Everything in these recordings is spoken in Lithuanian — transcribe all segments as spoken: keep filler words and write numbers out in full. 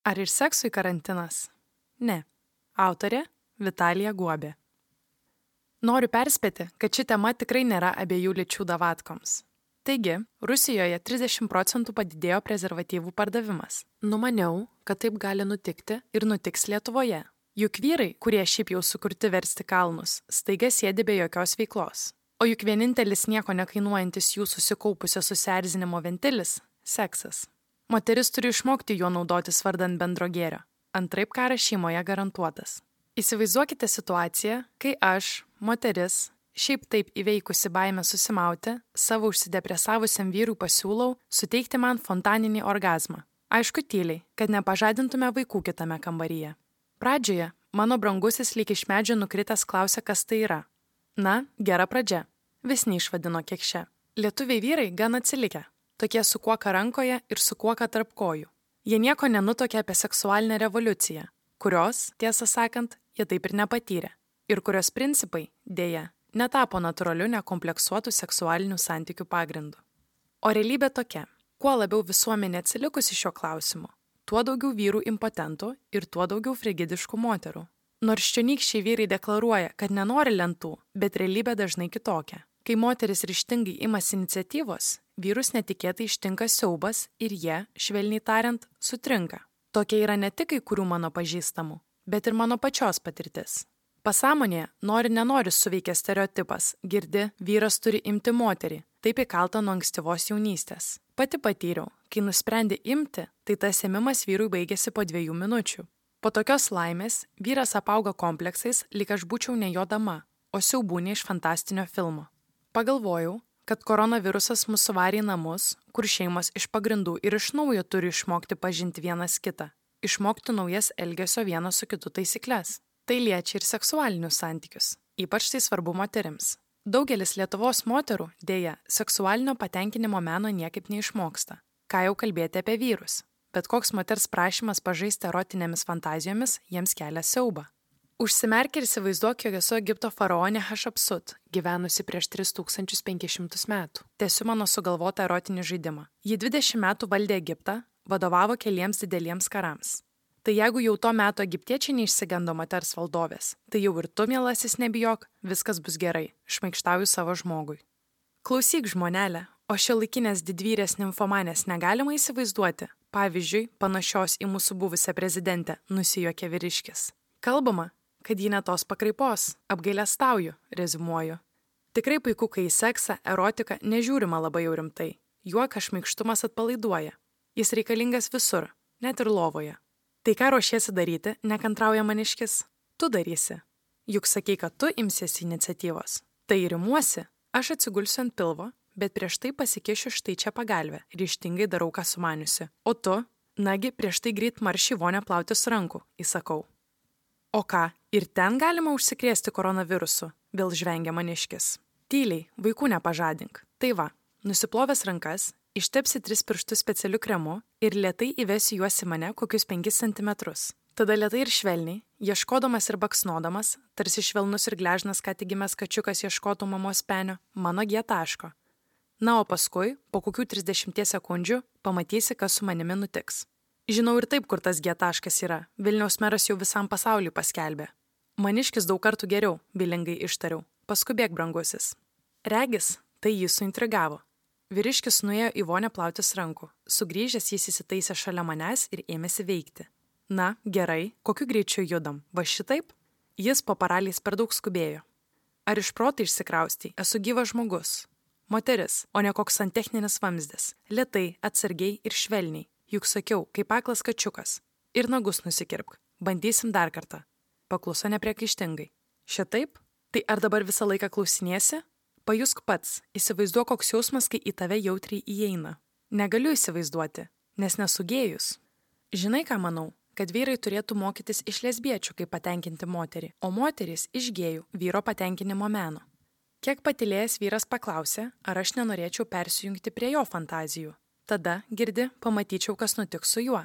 Ar ir seksui karantinas? Ne. Autorė Vitalija Guobė. Noriu perspėti, kad ši tema tikrai nėra abiejų lyčių davatkoms. Taigi, Rusijoje trisdešimt procentų padidėjo prezervatyvų pardavimas. Numaniau, kad taip gali nutikti ir nutiks Lietuvoje. Juk vyrai, kurie šiaip jau sukurti versti kalnus, staiga sėdi be jokios veiklos. O juk vienintelis nieko nekainuojantis jų susikaupusio susierzinimo ventilis – seksas. Moteris turi išmokti juo naudotis vardan bendro gėrio. Antraip karas šeimoje garantuotas. Įsivaizduokite situaciją, kai aš, moteris, šiaip taip įveikusi baimę susimauti, savo užsidepresavusiam vyrui pasiūlau suteikti man fontaninį orgazmą. Aišku tyliai, kad nepažadintume vaikų kitame kambaryje. Pradžioje mano brangusis lyg iš medžio nukritęs klausė, kas tai yra. Na, gera pradžia. Vis neišvadino kekše. Lietuviai vyrai gan atsilikę. Tokie su kuoka rankoje ir su kuoka tarp kojų. Jie nieko nenutokė apie seksualinę revoliuciją, kurios, tiesą sakant, jie taip ir nepatyrė. Ir kurios principai, dėja, netapo natūraliu nekompleksuotų seksualinių santykių pagrindu. O realybė tokia. Kuo labiau visuomenė atsilikusi šio klausimu, tuo daugiau vyrų impotentų ir tuo daugiau frigidiškų moterų. Nors čionykščiai vyrai deklaruoja, kad nenori lentų, bet realybė dažnai kitokia. Kai moteris ryžtingai imasi iniciatyvos, vyrus netikėtai ištinka siaubas ir jie, švelniai tariant, sutrinka. Tokia yra ne tik kai kurių mano pažįstamų, bet ir mano pačios patirtis. Pasąmonėje nori-nenori suveikia stereotipas, girdi, vyras turi imti moterį, taip įkalta nuo ankstyvos jaunystės. Pati patyriau, kai nusprendė imti, tai tas ėmimas vyrui baigėsi po dviejų minučių. Po tokios laimės vyras apauga kompleksais, lyg aš būčiau ne jo dama, o siaubūnė iš fantastinio filmo. Pagalvojau, kad koronavirusas mus suvarė į namus, kur šeimos iš pagrindų ir iš naujo turi išmokti pažinti vienas kitą, išmokti naujas elgesio vienas su kitu taisyklės. Tai liečia ir seksualinius santykius, ypač tai svarbu moterims. Daugelis Lietuvos moterų, dėja, seksualinio patenkinimo meno niekaip neišmoksta. Ką jau kalbėti apie vyrus, bet koks moters prašymas pažaisti erotinėmis fantazijomis jiems kelia siaubą. Užsimerk ir įsivaizduok, jog esu Egipto faraonė Hašapsut, gyvenusi prieš tris tūkstančius penkis šimtus metų. Tęsiu mano sugalvotą erotinį žaidimą. Ji dvidešimt metų valdė Egiptą, vadovavo keliems dideliems karams. Tai jeigu jau to meto egiptiečiai neišsigando moters valdovės, tai jau ir tu, mielasis, nebijok, viskas bus gerai, šmaikštauju savo žmogui. Klausyk, žmonelė, o šiuolaikinės didvyrės nimfomanės negalima įsivaizduoti, pavyzdžiui, panašios į mūsų buvusią prezidentę, nusijuokė vyriškis. Kalbama, kad ji ne tos pakraipos, apgailestauju, reziumuoju. Tikrai puiku, kai į seksą, erotiką nežiūrima labai jau rimtai. Juokas šmaikštumas atpalaiduoja. Jis reikalingas visur, net ir lovoje. Tai ką ruošiesi daryti, nekantrauja maniškis? Tu darysi. Juk sakei, kad tu imsiesi iniciatyvos. Tai rimuosi, aš atsigulsiu ant pilvo, bet prieš tai pasikišiu štai čia pagalvę, ryžtingai darau, ką sumaniusi. O tu, nagi, prieš tai greit marši vonę plautis rankų, įsakau. O ką, ir ten galima užsikrėsti koronavirusu, vėl žvengia maniškis. Tyliai, vaikų nepažadink. Tai va, nusiplovęs rankas, ištepsi tris pirštus specialiu kremu ir lėtai įvesi juos į mane kokius penkis centimetrus. Tada lėtai ir švelniai, ieškodamas ir baksnodamas, tarsi švelnus ir gležnas ką tik gimęs kačiukas ieškotų mamos penio, mano G taško. Na, o paskui, po kokių trisdešimties sekundžių, pamatysi, kas su manimi nutiks. Žinau ir taip, kur tas G taškas yra. Vilniaus meras jau visam pasauliui paskelbė. Maniškis daug kartų geriau, bilingai ištariau. Paskubėk, brangusis. Regis, tai jį suintrigavo. Vyriškis nuėjo į vonę plautis rankų. Sugrįžęs jis įsitaisė šalia manęs ir ėmėsi veikti. Na, gerai, kokiu greičiu judam? Va šitaip? Jis po paraliais per daug skubėjo. Ar iš proto išsikraustei? Esu gyvas žmogus. Moteris, o ne koks santechninis vamzdis. Lėtai, atsargiai ir švelniai. Juk sakiau, kaip aklas kačiukas. Ir nagus nusikirpk. Bandysim dar kartą. Pakluso nepriekaištingai. Šitaip? Tai ar dabar visą laiką klausinėsi? Pajusk pats, įsivaizduok koks jausmas, kai į tave jautriai įeina. Negaliu įsivaizduoti, nes nesu gėjus. Žinai, ką manau? Kad vyrai turėtų mokytis iš lesbiečių, kaip patenkinti moterį, o moterys iš gėjų, vyro patenkinimo meno. Kiek patylėjęs vyras paklausė, ar aš nenorėčiau persijungti prie jo fantazijų. Tada, girdi, pamatyčiau, kas nutiks su juo.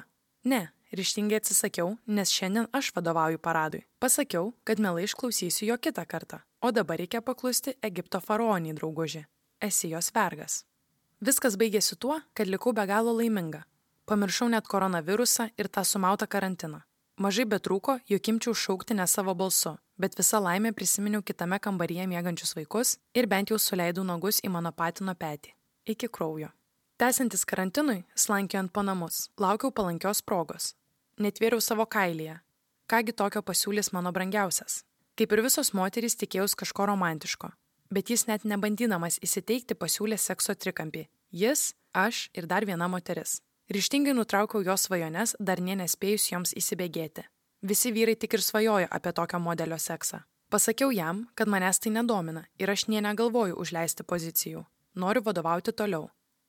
Ne, ryžtingai atsisakiau, nes šiandien aš vadovauju paradui. Pasakiau, kad mielai išklausysiu jo kitą kartą, o dabar reikia paklusti Egipto faraoniai, drauguži. Esi jos vergas. Viskas baigėsi tuo, kad likau be galo laiminga. Pamiršau net koronavirusą ir tą sumautą karantiną. Mažai betrūko, jog imčiau šaukti ne savo balsu, bet visa laimė prisiminiau kitame kambaryje miegančius vaikus ir bent jau suleidau nagus į mano patino petį. Iki kraujo. Tęsiantis karantinui, slankiojant po namus, laukiau palankios progos. Netvėriau savo kailyje. Kągi tokio pasiūlys mano brangiausias. Kaip ir visos moterys tikėjaus kažko romantiško, bet jis net nebandydamas įsiteikti pasiūlė sekso trikampį. Jis, aš ir dar viena moteris. Ryžtingai nutraukiau jos svajones, dar nė nespėjus joms įsibėgėti. Visi vyrai tik ir svajojo apie tokio modelio seksą. Pasakiau jam, kad manęs tai nedomina ir aš nė negalvoju užleisti pozicijų. Noriu vadovauti toliau.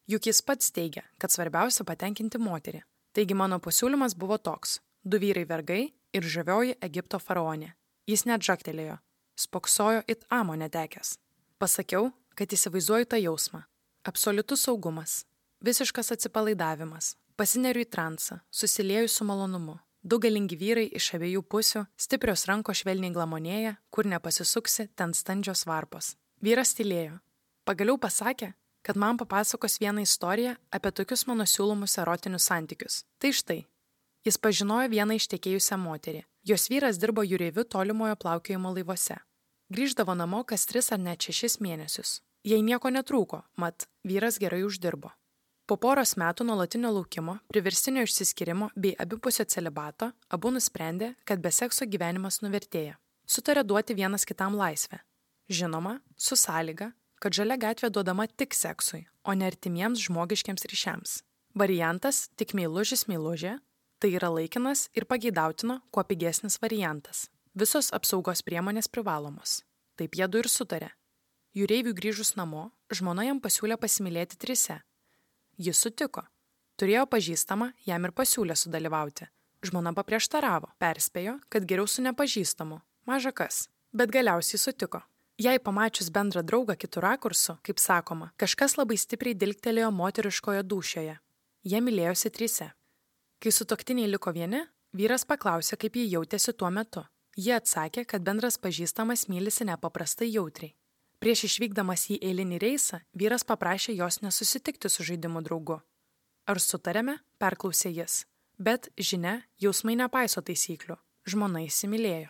Juk jis pats teigia, kad svarbiausia patenkinti moterį. Taigi mano pasiūlymas buvo toks. Du vyrai vergai ir žavioji Egipto faraonė. Jis net žaktelėjo. Spoksojo it amo netekęs. Pasakiau, kad įsivaizduoju tą jausmą. Absoliutus saugumas. Visiškas atsipalaidavimas, pasineriu į transą, susilieju su malonumu. Du galingi vyrai iš abiejų pusių, stiprios rankos švelniai glamonėja, kur nepasisuksi, ten standžios varpos. Vyras tylėjo. Pagaliau pasakė, kad man papasakos vieną istoriją apie tokius mano siūlomus erotinius santykius. Tai štai. Jis pažinojo vieną ištekėjusią moterį. Jos vyras dirbo jūreiviu tolimojo plaukiojimo laivuose. Grįždavo namo kas tris ar net šešis mėnesius. Jai nieko netrūko, mat vyras gerai uždirbo. Po poros metų nuolatinio laukimo, priverstinio išsiskyrimo bei abipusio celibato, abu nusprendė, kad be sekso gyvenimas nuvertėja. Sutarė duoti vienas kitam laisvę. Žinoma, su sąlyga, kad žalia gatvė duodama tik seksui, o ne artimiems žmogiškiams ryšiams. Variantas tik meilužis meilužė, tai yra laikinas ir pageidautino, kuo pigesnis variantas. Visos apsaugos priemonės privalomos. Taip jie du ir sutarė. Jūreiviui grįžus namo, žmona jam pasiūlė pasimylėti trise. Jis sutiko. Turėjo pažįstamą, jam ir pasiūlė sudalyvauti. Žmona paprieštaravo, perspėjo, kad geriau su nepažįstamu. Maža kas. Bet galiausiai sutiko. Jei pamačius bendrą draugą kitų rakursų, kaip sakoma, kažkas labai stipriai dilgtelėjo moteriškoje dūšioje. Jie mylėjosi trise. Kai sutuoktiniai liko vieni, vyras paklausė, kaip jie jautėsi tuo metu. Jie atsakė, kad bendras pažįstamas mylisi nepaprastai jautriai. Prieš išvykdamas į eilinį reisą, vyras paprašė jos nesusitikti su žaidimų draugu. Ar sutarėme? Perklausė jis. Bet, žinia, jausmai nepaiso taisyklių. Žmona įsimylėjo.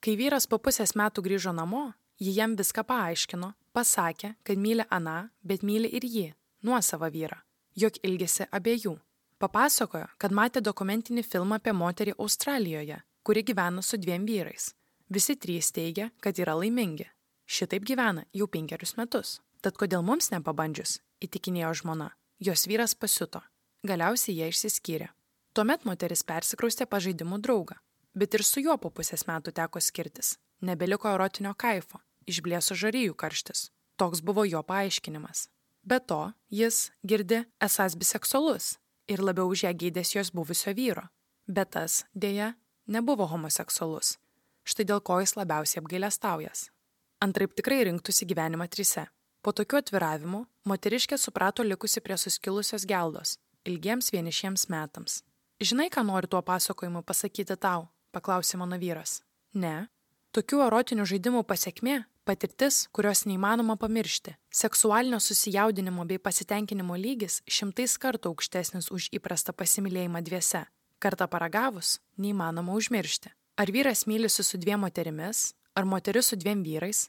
Kai vyras po pusės metų grįžo namo, ji jam viską paaiškino, pasakė, kad myli aną, bet myli ir jį, nuosavą vyrą, jog ilgisi abiejų. Papasakojo, kad matė dokumentinį filmą apie moterį Australijoje, kuri gyvena su dviem vyrais. Visi trys teigia, kad yra laimingi. Šitaip gyvena jau penkerius metus. Tad kodėl mums nepabandžius, įtikinėjo žmona. Jos vyras pasiuto. Galiausiai jie išsiskyrė. Tuomet moteris persikraustė pas žaidimų draugą. Bet ir su juo po pusės metų teko skirtis. Nebeliko erotinio kaifo. Išblėso žarijų karštis. Toks buvo jo paaiškinimas. Be to, jis, girdi, esąs biseksualus ir labiau už ją geidės jos buvusio vyro. Bet tas, dėja, nebuvo homoseksualus. Štai dėl ko jis labiausiai apgailestaujas. Antraip tikrai rinktųsi gyvenimą trise. Po tokių atviravimų, moteriškė suprato likusi prie suskilusios geldos, ilgiems vienišiems metams. Žinai, ką noriu tuo pasakojimu pasakyti tau? Paklausė mano vyras. Ne. Tokių erotinių žaidimų pasekmė – patirtis, kurios neįmanoma pamiršti. Seksualinio susijaudinimo bei pasitenkinimo lygis šimtais kartų aukštesnis už įprastą pasimylėjimą dviese. Kartą paragavus, neįmanoma užmiršti. Ar vyras mylisi su dviem moterimis, ar moteris su dviem vyrais?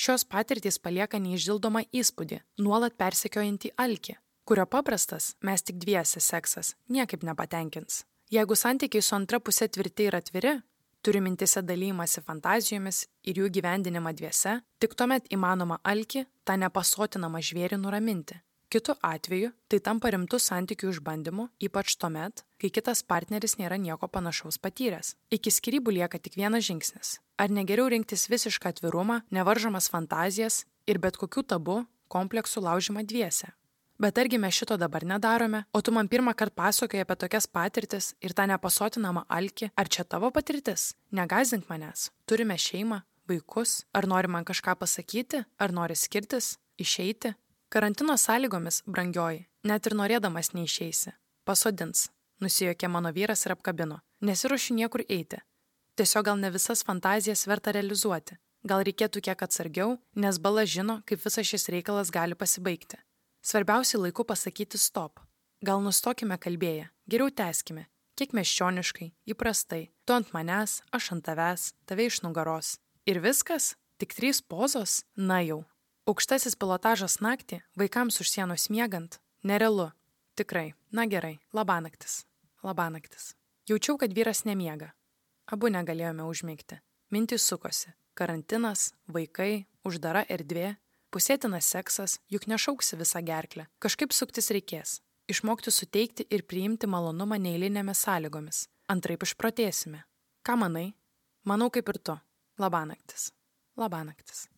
Šios patirtys palieka neišdildomą įspūdį, nuolat persekiojantį alkį, kurio paprastas, mes tik dviese seksas, niekaip nepatenkins. Jeigu santykiai su antra pusė tvirti ir atviri, turi mintise dalymasi fantazijomis ir jų gyvendinimą dviese, tik tuomet įmanoma alkį, tą nepasotinamą žvėrį nuraminti. Kitu atveju, tai tampa rimtų santykių išbandymu, ypač tuomet, kai kitas partneris nėra nieko panašaus patyręs. Iki skyrybų lieka tik vienas žingsnis. Ar negeriau rinktis visišką atvirumą, nevaržomas fantazijas ir bet kokių tabų, kompleksų laužymą dviese? Bet argi mes šito dabar nedarome, o tu man pirmą kartą pasakoji apie tokias patirtis ir tą nepasotinamą alkį, ar čia tavo patirtis? Negąsdink manęs. Turime šeimą, vaikus, ar nori man kažką pasakyti, ar nori skirtis, išeiti? Karantino sąlygomis, brangioji, net ir norėdamas neišeisi. Pasodins, nusijuokė mano vyras ir apkabino. Nesiruošiu niekur eiti. Tiesiog gal ne visas fantazijas verta realizuoti. Gal reikėtų kiek atsargiau, nes bala žino, kaip visas šis reikalas gali pasibaigti. Svarbiausia laiku pasakyti stop. Gal nustokime kalbėję, geriau tęskime, kiek miesčioniškai, įprastai, tu ant manęs, aš ant tavęs, tave iš nugaros. Ir viskas? Tik trys pozos? Na jau. Aukštasis pilotažas naktį, vaikams už sienos miegant, nerealu. Tikrai, na gerai, labanaktis, labanaktis. Jaučiau, kad vyras nemiega. Abu negalėjome užmigti. Mintys sukosi. Karantinas, vaikai, uždara erdvė, pusėtinas seksas, juk nešauksi visą gerklę. Kažkaip suktis reikės. Išmokti suteikti ir priimti malonumą neeilinėmis sąlygomis. Antraip išprotėsime. Ką manai? Manau kaip ir tu. Labanaktis. Labanaktis.